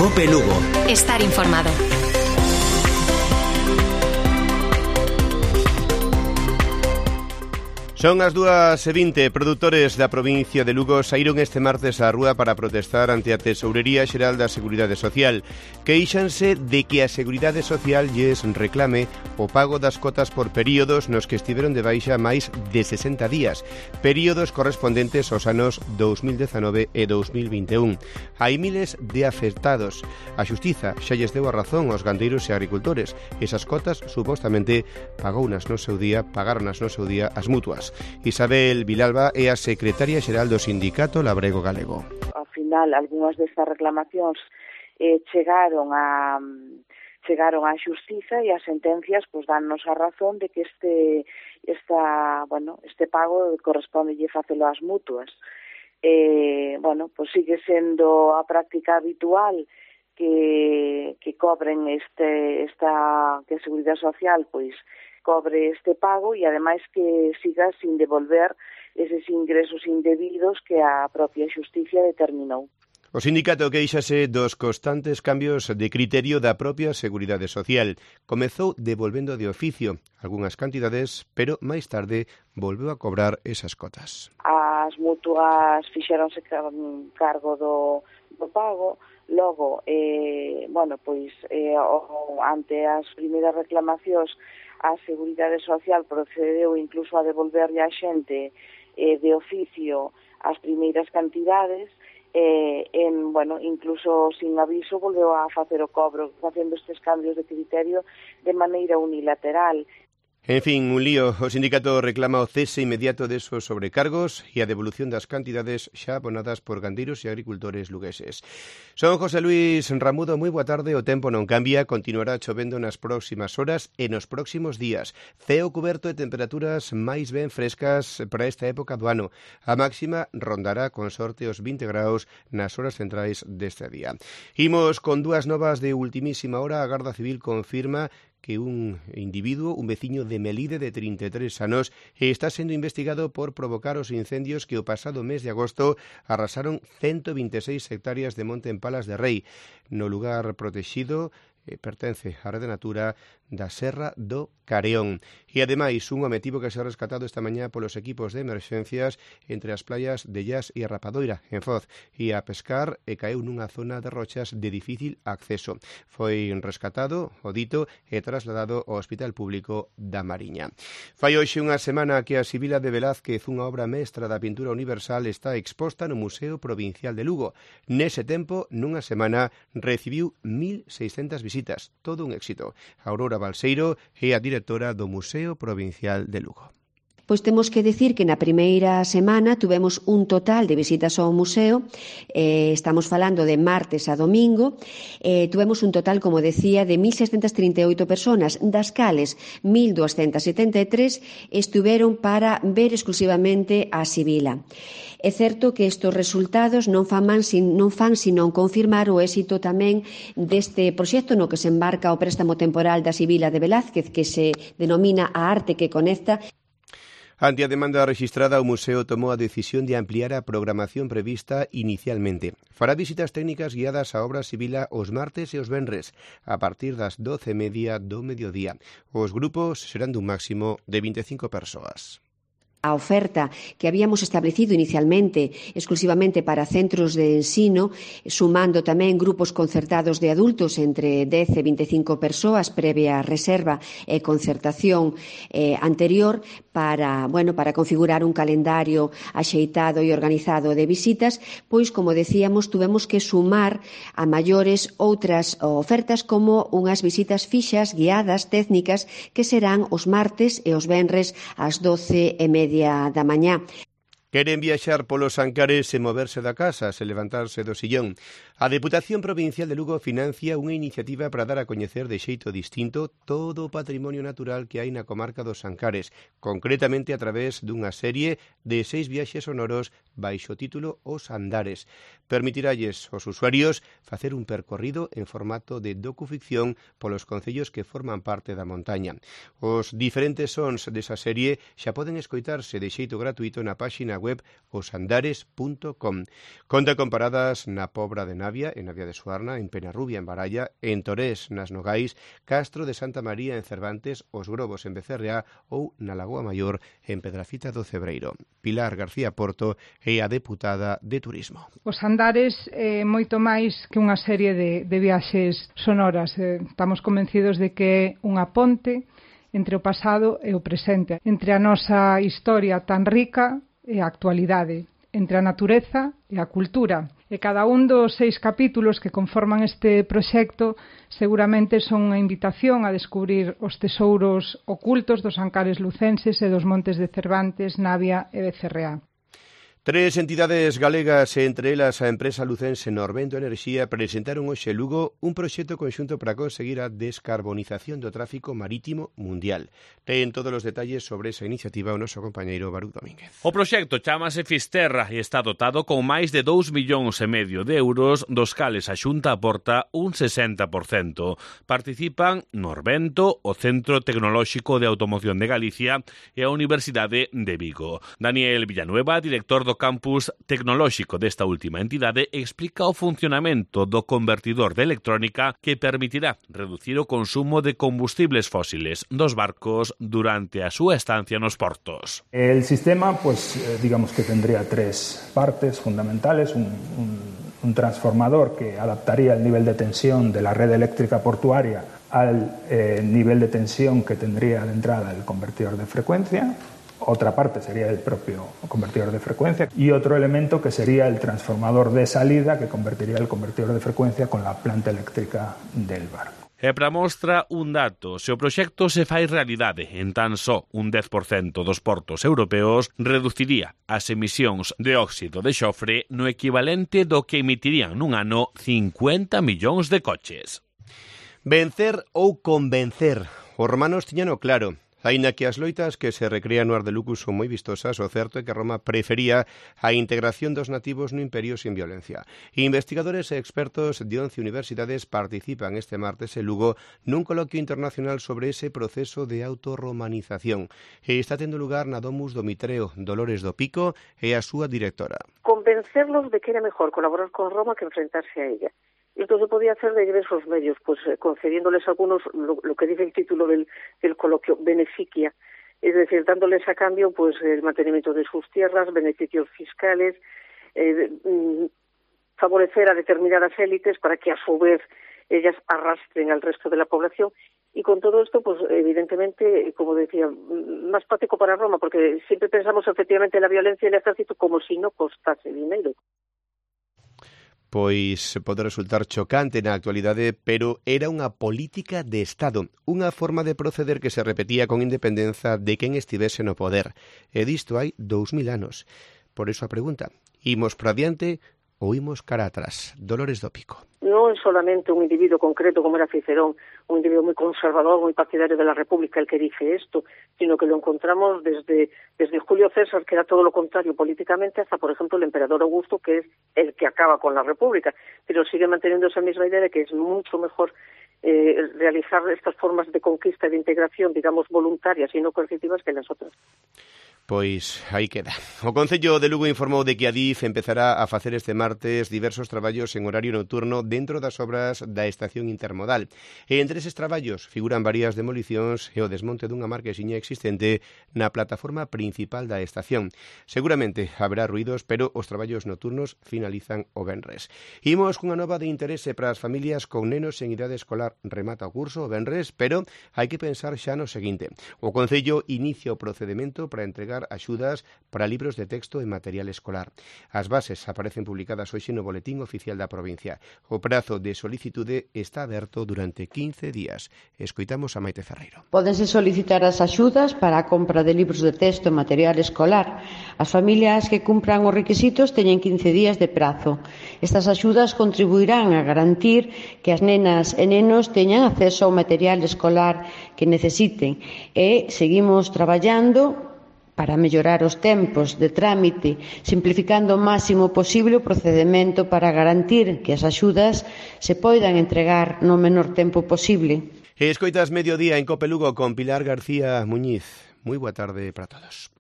COPE Lugo. Estar informado. Son as 2:20. Produtores da provincia de Lugo saíron este martes á rúa para protestar ante a Tesourería Xeral da Seguridade Social. Queixanse de que a Seguridade Social lles reclame o pago das cotas por períodos nos que estiveron de baixa máis de 60 días, períodos correspondentes aos anos 2019 e 2021. Hai miles de afectados. A Xustiza xa lles deu a razón aos gandeiros e agricultores. Esas cotas, supostamente, pagaronas no seu día as mutuas. Isabel Vilalba é a secretaria xeral do sindicato labrego galego. Ao final, algunhas destas reclamacións chegaron á xustiza e as sentencias dannos a razón de que este pago correspondelle facelo ás mutuas. Sigue sendo a práctica habitual que cobren que a Seguridade Social cobre este pago e ademais que siga sin devolver eses ingresos indebidos que a propia xusticia determinou. O sindicato queixase dos constantes cambios de criterio da propia Seguridade Social. Comezou devolvendo de oficio algunhas cantidades, pero máis tarde volveu a cobrar esas cotas. As mutuas fixeronse cargo do pago, logo, ante as primeiras reclamacións, a Seguridade Social procedeu incluso a devolverlle a xente de oficio as primeiras cantidades, incluso sin aviso volveu a facer o cobro, facendo estes cambios de criterio de maneira unilateral. En fin, un lío. O sindicato reclama o cese inmediato desos sobrecargos e a devolución das cantidades xa abonadas por gandeiros e agricultores lugueses. Son José Luis Ramudo, moi boa tarde. O tempo non cambia, continuará chovendo nas próximas horas e nos próximos días. Ceo cuberto e temperaturas máis ben frescas para esta época do ano. A máxima rondará con sorte os 20 graus nas horas centrais deste día. Imos con dúas novas de ultimísima hora. A Garda Civil confirma que un individuo, un veciño de Melide de 33 anos, está sendo investigado por provocar os incendios que o pasado mes de agosto arrasaron 126 hectáreas de monte en Palas de Rei. No lugar protexido pertence á Rede Natura da Serra do Careón. E ademais, un home tivo que ser rescatado esta mañá polos equipos de emerxencias entre as playas de Llas e a Rapadoira, en Foz, e a pescar e caeu nunha zona de rochas de difícil acceso. Foi rescatado, o dito, e trasladado ao Hospital Público da Mariña. Fai hoxe unha semana que a Sibila de Velázquez, unha obra mestra da pintura universal, está exposta no Museo Provincial de Lugo. Nese tempo, nunha semana, recibiu 1.600 visitas. Todo un éxito. Aurora Balseiro é a directora do Museo Provincial de Lugo. Pois temos que decir que na primeira semana tuvemos un total de visitas ao museo, estamos falando de martes a domingo, tuvemos un total, como decía, de 1.638 personas, das cales 1.273 estuveron para ver exclusivamente a Sibila. É certo que estes resultados non fan sino confirmar o éxito tamén deste proxecto no que se embarca o préstamo temporal da Sibila de Velázquez, que se denomina A Arte que Conecta. Ante a demanda rexistrada, o museo tomou a decisión de ampliar a programación prevista inicialmente. Fará visitas técnicas guiadas á obra Sibila os martes e os venres, a partir das 12:30 do mediodía. Os grupos serán dun máximo de 25 persoas. A oferta que habíamos establecido inicialmente exclusivamente para centros de ensino, sumando tamén grupos concertados de adultos entre 10 e 25 persoas previa reserva e concertación anterior para configurar un calendario axeitado e organizado de visitas, pois, como decíamos, tuvemos que sumar a maiores outras ofertas como unhas visitas fixas, guiadas, técnicas, que serán os martes e os venres ás 12:30 da mañá. Queren viaxar polos Ancares e moverse da casa, se levantarse do sillón. A Deputación Provincial de Lugo financia unha iniciativa para dar a coñecer de xeito distinto todo o patrimonio natural que hai na comarca dos Ancares, concretamente a través dunha serie de 6 viaxes sonoros baixo o título Os Andares. Permitiralles aos usuarios facer un percorrido en formato de docuficción polos concellos que forman parte da montaña. Os diferentes sons desa serie xa poden escoitarse de xeito gratuito na páxina web osandares.com. Conta con paradas na Pobra de Nava, Navia, en Navia de Suarna, en Penarrubia, en Baralla, en Torés, nas Nogais, Castro de Santa María, en Cervantes, Os Grobos, en Becerreá ou na Lagoa Maior, en Pedrafita do Cebreiro. Pilar García Porto é a deputada de Turismo. Os Andares é moito máis que unha serie de viaxes sonoras. Estamos convencidos de que é unha ponte entre o pasado e o presente, entre a nosa historia tan rica e a actualidade, entre a natureza e a cultura. E cada un dos 6 capítulos que conforman este proxecto seguramente son unha invitación a descubrir os tesouros ocultos dos Ancares lucenses e dos montes de Cervantes, Navia e Becerreá. 3 entidades galegas, entre elas a empresa lucense Norvento Enerxía, presentaron hoxe en Lugo un proxecto conxunto para conseguir a descarbonización do tráfico marítimo mundial. Ten todos os detalles sobre esa iniciativa o noso compañeiro Baruch Domínguez. O proxecto chamase Fisterra e está dotado con máis de 2,5 millóns de euros, dos cales a Xunta aporta un 60%. Participan Norvento, o Centro Tecnolóxico de Automoción de Galicia e a Universidade de Vigo. Daniel Villanueva, director do campus tecnolóxico desta última entidade, explica o funcionamento do convertidor de electrónica que permitirá reducir o consumo de combustibles fósiles dos barcos durante a súa estancia nos portos. El sistema, digamos que tendría 3 partes fundamentales, un transformador que adaptaría el nivel de tensión de la red eléctrica portuaria al nivel de tensión que tendría de entrada el convertidor de frecuencia. Otra parte sería el propio convertidor de frecuencia y otro elemento que sería el transformador de salida que convertiría el convertidor de frecuencia con la planta eléctrica del barco. E para mostra un dato, se o proxecto se fai realidade en tan só un 10% dos portos europeos, reduciría as emisións de óxido de xofre no equivalente do que emitirían nun ano 50 millóns de coches. Vencer ou convencer, os romanos tiñano claro. Aínda que as loitas que se recrean no Ardelucus son moi vistosas, o certo é que Roma prefería a integración dos nativos no imperio sin violencia. Investigadores e expertos de 11 universidades participan este martes en Lugo nun coloquio internacional sobre ese proceso de autorromanización. E está tendo lugar na Domus do Mitreo, Dolores do Pico e a súa directora. Convencerlos de que era mejor colaborar con Roma que enfrentarse a ella. Esto se podía hacer de diversos medios, concediéndoles algunos, lo que dice el título del coloquio, beneficia, es decir, dándoles a cambio el mantenimiento de sus tierras, beneficios fiscales, favorecer a determinadas élites para que a su vez ellas arrastren al resto de la población. Y con todo esto, evidentemente, como decía, más práctico para Roma, porque siempre pensamos efectivamente en la violencia y el ejército como si no costase dinero. Pois pode resultar chocante na actualidade, pero era unha política de Estado, unha forma de proceder que se repetía con independenza de quen estivese no poder. E disto hai 2000 anos. Por eso a pregunta, imos para diante ou imos cara atrás? Dolores do Pico. No es solamente un individuo concreto como era Cicerón, un individuo muy conservador, muy partidario de la República el que dice esto, sino que lo encontramos desde Julio César, que era todo lo contrario políticamente, hasta, por ejemplo, el emperador Augusto, que es el que acaba con la República, pero sigue manteniendo esa misma idea de que es mucho mejor realizar estas formas de conquista y de integración, digamos, voluntarias y no coercitivas que las otras. Pois aí queda. O Concello de Lugo informou de que a DIF empezará a facer este martes diversos traballos en horario nocturno dentro das obras da estación intermodal. E entre eses traballos figuran varias demolicións e o desmonte dunha marquesiña existente na plataforma principal da estación. Seguramente haberá ruidos, pero os traballos nocturnos finalizan o venres. Imos cunha nova de interese para as familias con nenos en idade escolar. Remata o curso o venres, pero hai que pensar xa no seguinte. O Concello inicia o procedimento para entregar axudas para libros de texto e material escolar. As bases aparecen publicadas hoxe no Boletín Oficial da provincia. O prazo de solicitude está aberto durante 15 días. Escoitamos a Maite Ferreiro. Pódense solicitar as axudas para a compra de libros de texto e material escolar. As familias que cumpran os requisitos teñen 15 días de prazo. Estas axudas contribuirán a garantir que as nenas e nenos teñan acceso ao material escolar que necesiten e seguimos traballando para mellorar os tempos de trámite, simplificando o máximo posible o procedemento para garantir que as axudas se poidan entregar no menor tempo posible. Escoitas Mediodía en Cope Lugo con Pilar García Muñiz. Moi boa tarde para todos.